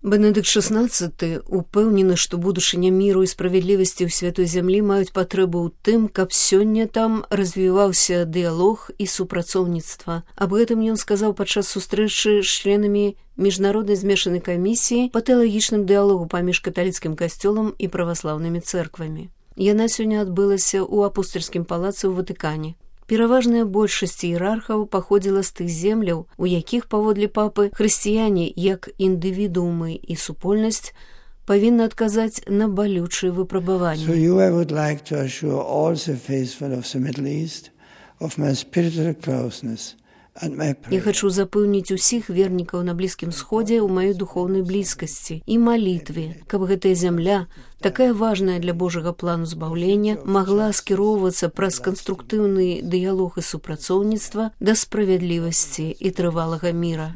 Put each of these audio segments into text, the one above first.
Бенедикт XVI упэўнены, што будучыня міру і справядлівасці ў святой зямлі маюць патрэбу ў тым, каб сёння там развіваўся дыялог і супрацоўніцтва. Аб гэтым ён сказаў падчас сустрэчы з членамі міжнароднай змешанай камісіі па тэалагічным дыялогу паміж каталіцкім касцёлам і праваслаўнымі цэрквамі. Яна сёння адбылася ў апостальскім палацы ў Ватыкане. Пераважная большасць іерархаў паходзіла з тых земляў, у якіх, паводле папы, хрысціяне, як індывідуумы і супольнасць, павінны адказаць на балючыя выпрабаванні. So I would like to assure all the faithful of the Middle East of my spiritual closeness and my prayer. Я хачу запэўніць усіх вернікаў на Блізкім Сходзе ў маёй духоўнай блізкасці і малітве, каб гэтая зямля, такая важная для Божага плану збаўлення, магла скіроўвацца праз канструктыўны дыялог і супрацоўніцтва да справядлівасці і трывалага міра.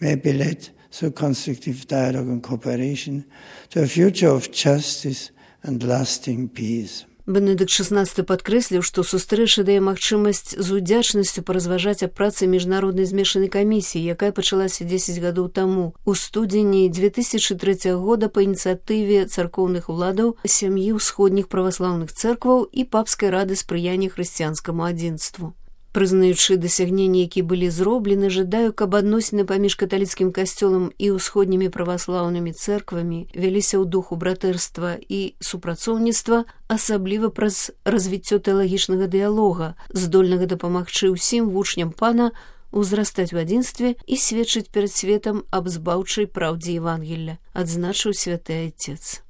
May be led through constructive dialogue and cooperation to a future of justice and lasting peace. Бенедикт XVI падкрэсліў, што сустрэча дае магчымасць з удзячнасцю паразважаць аб працы міжнароднай змешанай камісіі, якая пачалася 10 гадоў таму, у студзені 2003 года па ініцыятыве царкоўных уладаў, сям'і ўсходніх праваслаўных цэркваў і папскай рады спрыяння хрысціянскаму адзінству. Прызнаючы дасягненні, якія былі зроблены, жадаю, каб адносіны паміж каталіцкім касцёлам і ўсходнімі праваслаўнымі цэрквамі вяліся ў духу братэрства і супрацоўніцтва, асабліва праз развіццё тэалагічнага дыялога, здольнага дапамагчы ўсім вучням пана узрастаць у адзінстве і сведчыць перад светам аб збаўчай праўдзе Евангелля, адзначыў святы Айцец.